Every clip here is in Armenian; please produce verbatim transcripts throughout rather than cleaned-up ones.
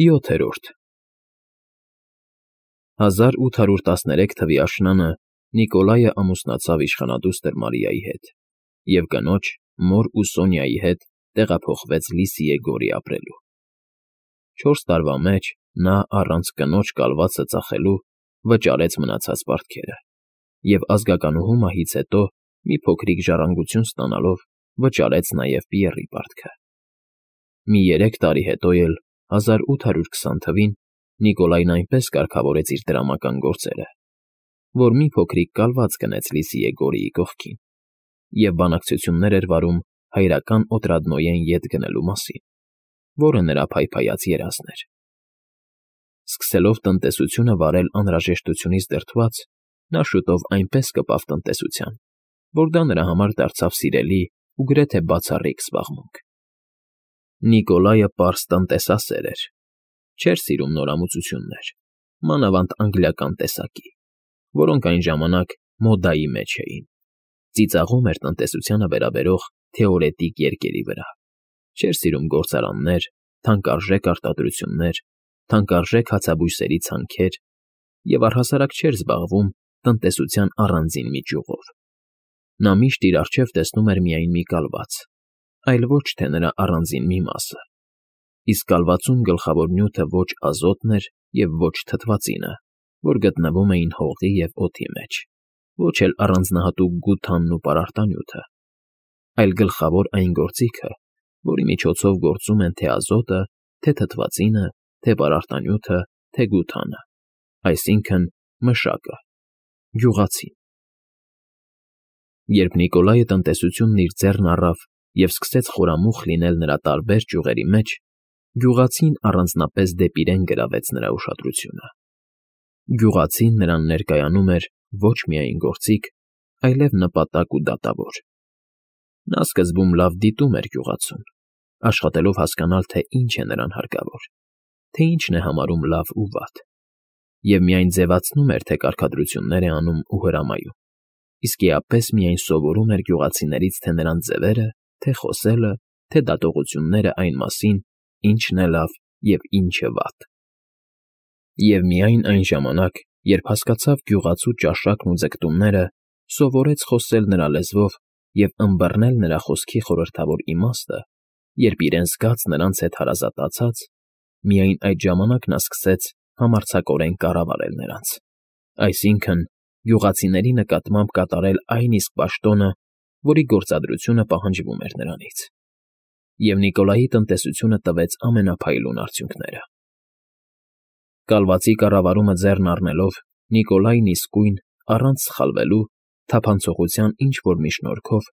ՅՈԹԵՐՈՐԴ հազար ութ հարյուր տասներեք թվականի աշնանը Նիկոլայը ամուսնացավ իշխանադուստր Մարիայի հետ և կնոջ, մոր ու Սոնյայի հետ տեղափոխվեց Լիսիե գորի ապրելու։ Չորս տարվա մեջ նա, առանց կնոջ կալվածը ծախելու, վճարեց մնացած պարտքերը և ազգականուհու մահից հետո, մի փոքրիկ ժառանգություն ստանալով, վճարեց նաև Պիեռի պարտքը։ Մի երեք տարի հետո էլ, հազար ութ հարյուր քսան թվականին, Նիկոլայն այնպես կարգավորեց իր տրամական գործերը, որ մի փոքրիկ կալված գնեց Լիսիե գորիի կողքին և բանակցություններ էր վարում հայրական Օտրադնոյեն ետ գնելու մասին, որը նրա փայփայած երազն էր։ Սկսելով տնտեսությունը վարել անհրաժեշտությունից դրդված, նա շուտով այնպես կպավ տնտեսության, որ դա նրա համար դարձավ սիրելի ու գրեթե բացառիկ զբաղմունք։ Նիկոլայը պարզ տնտեսասեր էր, չէր սիրում նորամուծություններ, մանավանդ անգլիական տեսակի, որոնք այն ժամանակ մոդայի մեջ էին, ծիծաղում էր տնտեսությանը վերաբերող թեորետիկ երկերի վրա, չէր սիրում գործարաններ, թանկարժեք արտադրություններ, թանկարժեք հացաբույսերի ցանքեր և առհասարակ չէր զբաղվում տնտեսության առանձին մի ճյուղով։ Նա միշտ իր առջև տեսնում էր միայն մի կալված, այլ ոչ թե նրա առանձին մի մասը, իսկ կալվածում գլխավոր նյութը ոչ ազոտն էր և ոչ թթվածինը, որ գտնվում էին հողի և օդի մեջ, ոչ էլ առանձնահատուկ գութանն ու պարարտանյութը, այլ գլխավոր այն գործիքը, որի միջոցով գործում են թե ազոտը, թե թթվածինը, թե պարարտանյութը, թե գութանը, այսինքն՝ մշակը, գյուղացին։ Երբ Նիկոլայը տնտեսությունն իր ձեռն առավ և սկսեց խորամուխ լինել նրա տարբեր ճյուղերի մեջ, գյուղացին առանձնապես դեպի իրեն գրավեց նրա ուշադրությունը։ Գյուղացին նրան ներկայանում էր ոչ միայն գործիք, այլև նպատակ ու դատավոր։ Նա սկզբում լավ դիտում էր գյուղացուն, աշխատելով հասկանալ, թե ինչ է նրան հարկավոր, թե ինչն է համարում լավ ու վատ, և միայն ձևացնում էր, թե կարգադրություններ է անում ու հրամայում, իսկ էապես միայն սովորում էր գյուղացիներից թե նրանց ձևերը, թե խոսելը, թե դատողությունները այն մասին, ինչն է լավ և ինչը վատ։ Եվ միայն այն ժամանակ, երբ հասկացավ գյուղացու ճաշակն ու ձգտումները, սովորեց խոսել նրա լեզվով և ըմբռնել նրա խոսքի խորհրդավոր իմաստը, երբ իրեն զգաց նրանց հետ հարազատացած, միայն այդ ժամանակ նա սկսեց համարձակորեն կառավարել նրանց, այսինքն՝ գյուղացիների նկատմամբ կատարել այն իսկ պաշտոնը, որի գործադրությունը պահանջվում էր նրանից։ Եվ Նիկոլայի տնտեսությունը տվեց ամենափայլուն արդյունքները։ Կալվածի կառավարումը ձեռն առնելով, Նիկոլայն իսկույն, առանց սխալվելու, թափանցողության ինչ֊որ մի շնորհքով,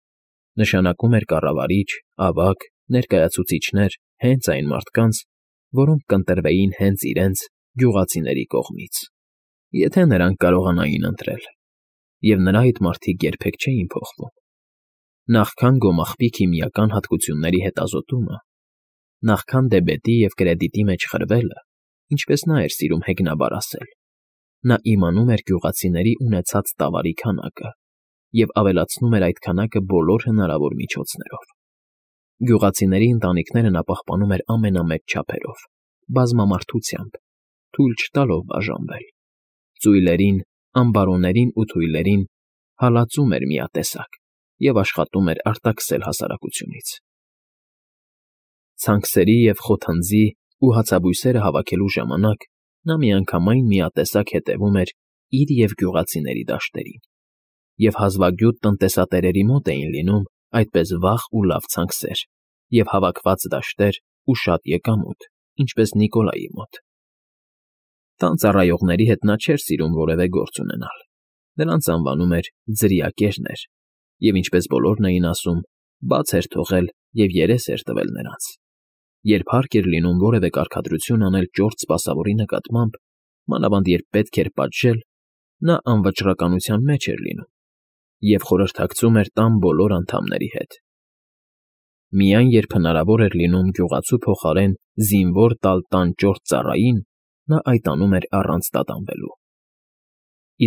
նշանակում էր կառավարիչ, ավագ, ներկայացուցիչներ հենց այն մարդկանց, որոնք կընտրվեին հենց իրենց՝ գյուղացիների կողմից, եթե նրանք կարողանային ընտրել, և նրա այդ մարդիկ երբեք չէին փոխվում։ Նախքան գոմաղբի քիմիական հատկությունների հետազոտումը, նախքան դեբետի և կրեդիտի մեջ խրվելը, ինչպես նա էր սիրում հեգնաբար ասել, նա իմանում էր գյուղացիների ունեցած տավարի քանակը և ավելացնում էր այդ քանակը բոլոր հնարավոր միջոցներով։ Գյուղացիների ընտանիքները նա պահպանում էր ամենամեծ չափերով, բազմամարդությամբ, թույլ չտալով բաժանվել, ծույլերին, ամբարոներին ու թույլերին հալածում էր միատեսակ և աշխատում էր արտաքսել հասարակությունից։ Ցանքսերի և խոթնձի ու հացաբույսերը հավաքելու ժամանակ նա միանգամայն միատեսակ հետևում էր իր և գյուղացիների դաշտերին, և հազվագյուտ տնտեսատերերի մոտ էին լինում այդպես վաղ ու լավ ցանքսեր և հավաքված դաշտեր ու շատ եկամուտ, ինչպես Նիկոլայի մոտ։ Տան ծառայողների հետ նա չէր սիրում որևէ գործ ունենալ, նրանց անվանում էր ձրիակերներ և, ինչպես բոլորն էին ասում, բաց էր թողել և երես էր տվել նրանց։ Երբ հարկ էր լինում որևէ կարգադրություն անել ճորտ սպասավորի նկատմամբ, մանավանդ երբ պետք էր պատժել, նա անվճռականության մեջ էր լինում և խորհրդակցում էր տան բոլոր անդամների հետ։ Միայն երբ հնարավոր էր լինում գյուղացու փոխարեն զինվոր տալ տան ճորտ ծառային, նա այդ անում էր առանց տատանվելու։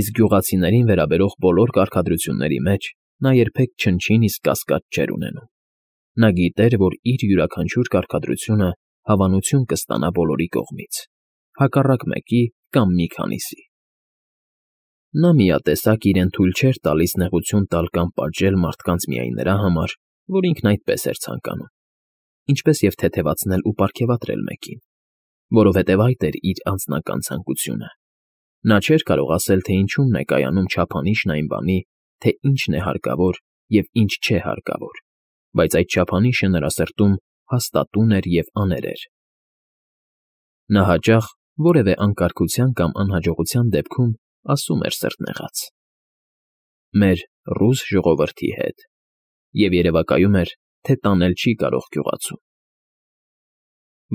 Իսկ գյուղացիներին վերաբերող բոլոր կարգադրությունների մեջ նա երբեք չնչին իսկ կասկած չէր ունենում։ Նա գիտեր, որ իր յուրաքանչյուր կարգադրությունը հավանություն կստանա բոլորի կողմից, հակառակ մեկի կամ մի քանիսի։ Նա միատեսակ իրեն թույլ չէր տալիս նեղություն տալ կամ պատժել մարդկանց միայն նրա համար, որ ինքն այդպես էր ցանկանում, ինչպես և թեթևացնել ու պարգևատրել մեկին, որովհետև այդ էր իր անձնական ցանկությունը։ Նա չէր կարող ասել, թե ինչումն է կայանում չափանիշն այն բանի, թե ինչն է հարկավոր և ինչ չէ հարկավոր, բայց այդ չափանիշը նրա սրտում հաստատուն էր և աներեր։ Նա հաճախ որևէ անկարգության կամ անհաջողության դեպքում ասում էր սրտնեղած. «Մեր ռուս ժողովրդի հետ», և երևակայում էր, թե տանել չի կարող գյուղացուն։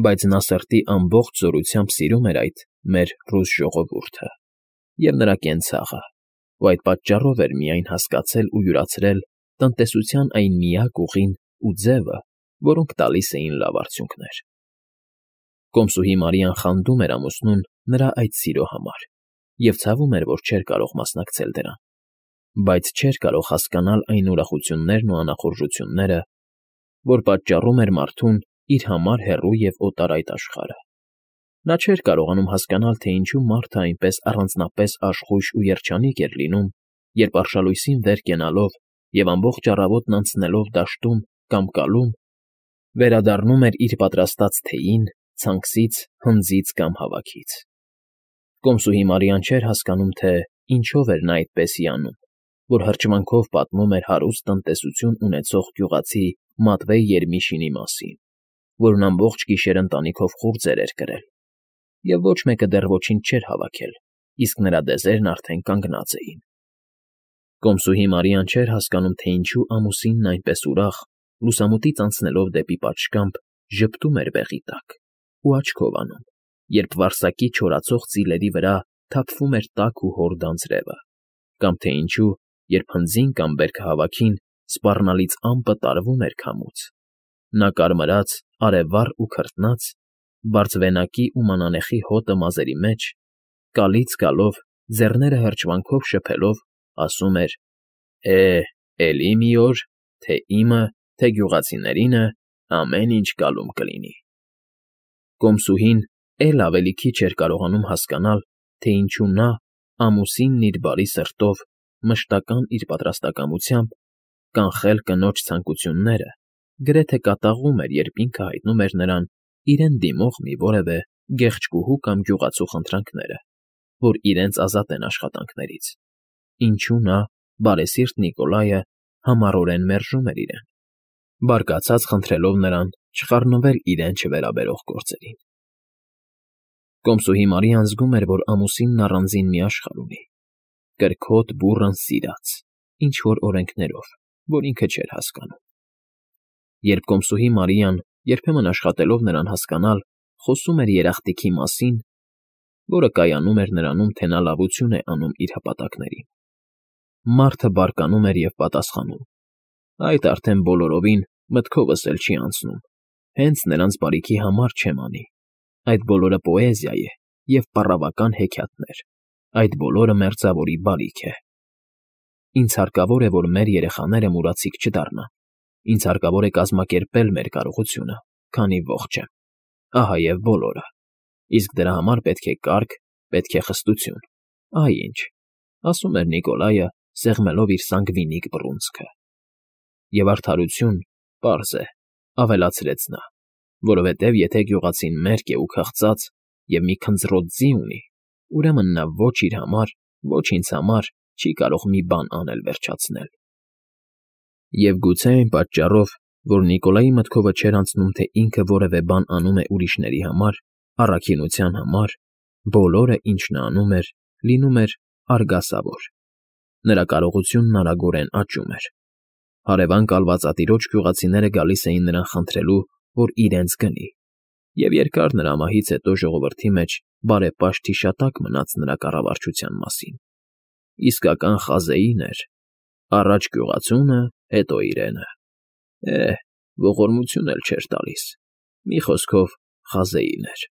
Բայց նա սրտի ամբողջ զորությամբ սիրում էր այդ «մեր ռուս ժողովուրդը» և նրա կենցաղը, ու այդ պատճառով էր միայն հասկացել ու յուրացրել տնտեսության այն միակ ուղին ու ձևը, որոնք տալիս էին լավ արդյունքներ։ Կոմսուհի Մարիան խանդում էր ամուսնուն նրա այդ սիրո համար և ցավում էր, որ չէր կարող մասնակցել դրան, բայց չէր կարող հասկանալ այն ուրախություններն ու անախորժությունները, որ պատճառում էր մարդուն իր համար հեռու և օտար այդ աշխարհը։ Նա չէր կարողանում հասկանալ, թե ինչու մարդը այնպես առանձնապես աշխույժ ու երջանիկ էր լինում, երբ արշալույսին վեր կենալով և ամբողջ առավոտն անցնելով դաշտում կամ կալում, վերադառնում էր իր պատրաստած թեյին, ցանքսից, հնձից կամ հավաքից։ Կոմսուհի Մարիան չէր հասկանում, թե ինչով էր նա այդպես հիանում, որ հրճվանքով պատմում էր հարուստ տնտեսություն ունեցող գյուղացի Մատվեյ Երմիշինի մասին, որն ամբողջ գիշեր ընտանիքով խուրձեր էր կրել, և ոչ մեկը դեռ ոչինչ չէր հավաքել, իսկ նրա դեզերն արդեն կանգնած էին։ Կոմսուհի Մարիան չէր հասկանում, թե ինչու ամուսինն այնպես ուրախ, լուսամուտից անցնելով դեպի պատշգամբ, ժպտում էր բեղի տակ ու աչքով անում, երբ վարսակի չորացող ծիլերի վրա թափվում էր տաք ու հոր դանձրևը, կամ թե ինչու, երբ հնձին կամ բերքը հավաքին, սպառնալից ամպը տարվում էր քամուց։ Նա կարմրած, արևառ ու քրտնած, բարձվենակի ու մանանեխի հոտը մազերի մեջ, կալից գալով, ձեռները հրճվանքով շփելով, ասում էր. «Է, էլի մի օր, թե իմը, թե գյուղացիներինը, ամեն ինչ կալում կլինի»։ Կոմսուհին էլ ավելի քիչ էր կարողանում հասկանալ, թե ինչու նա, ամուսինն իր բարի սրտով, մշտական իր պատրաստակամությամբ, կանխել կնոջ ցանկությունները, գրեթե կատաղում էր, երբ ինքը հայտնում էր նրան իրեն դիմող մի որևէ գեղեցկուհու կամ գյուղացու խնդրանքները, որ իրենց ազատեն աշխատանքներից, ինչու նա, բարեսիրտ Նիկոլայը, համառորեն մերժում էր իրեն, բարկացած խնդրելով նրան չխառնվել իրեն չվերաբերող գործերին։ Կոմսուհի Մարիան զգում էր, որ ամուսինն առանձին մի աշխարհ ունի, կրքոտ, բուռն, սիրած, ինչ֊որ օրենքներով, որ ինքը չէր հասկանում։ Երբ կոմսուհի Մարիան, երբեմն աշխատելով նրան հասկանալ, խոսում էր երախտիքի մասին, որը կայանում էր նրանում, թե նա լավություն է անում իր հպատակներին, մարդը բարկանում էր և պատասխանում. «Այդ արդեն բոլորովին մտքովս էլ չի անցնում, հենց նրանց բարիքի համար չեմ անի, այդ բոլորը պոեզիա է և պառավական հեքիաթներ, այդ բոլորը մերձավորի բարիք է։ Ինձ հարկավոր է, որ մեր երեխաները մուրացիկ չդառնան, ինձ հարկավոր է կազմակերպել մեր կարողությունը, քանի ողջ եմ, ահա և բոլորը, իսկ դրա համար պետք է կարգ, պետք է խստություն, ահա ինչ», ասում էր Նիկոլայը, սեղմելով իր սանգվինիկ բռունցքը։ «Եվ արդարություն, պարզ է», ավելացրեց նա, «որովհետև եթե գյուղացին մերկ է ու քաղցած և մի քնձռոտ ձի ունի, ուրեմն նա ոչ իր համար, ոչ ինձ համար չի կարող մի բան անել վերջացնել»։ Եվ գուցե այն պատճառով, որ Նիկոլայի մտքովը չէր անցնում, թե ինքը որևէ բան անում է ուրիշների համար, առաքինության համար, բոլորը, ինչ նա անում էր, լինում էր արգասավոր։ Նրա կարողությունն արագորեն աճում էր։ Հարևան կալվածատիրոջ գյուղացիները գալիս էին նրան խնդրելու, որ իրենց գնի, և երկար նրա մահից հետո ժողովրդի մեջ բարեպաշտ հիշատակ մնաց նրա կառավարչության մասին։ Իսկական խազեին էր, առաջ գյուղացունը, հետո իրենը։ Է, ողորմություն էլ չէր տալիս, մի խոսքով խազեին էր։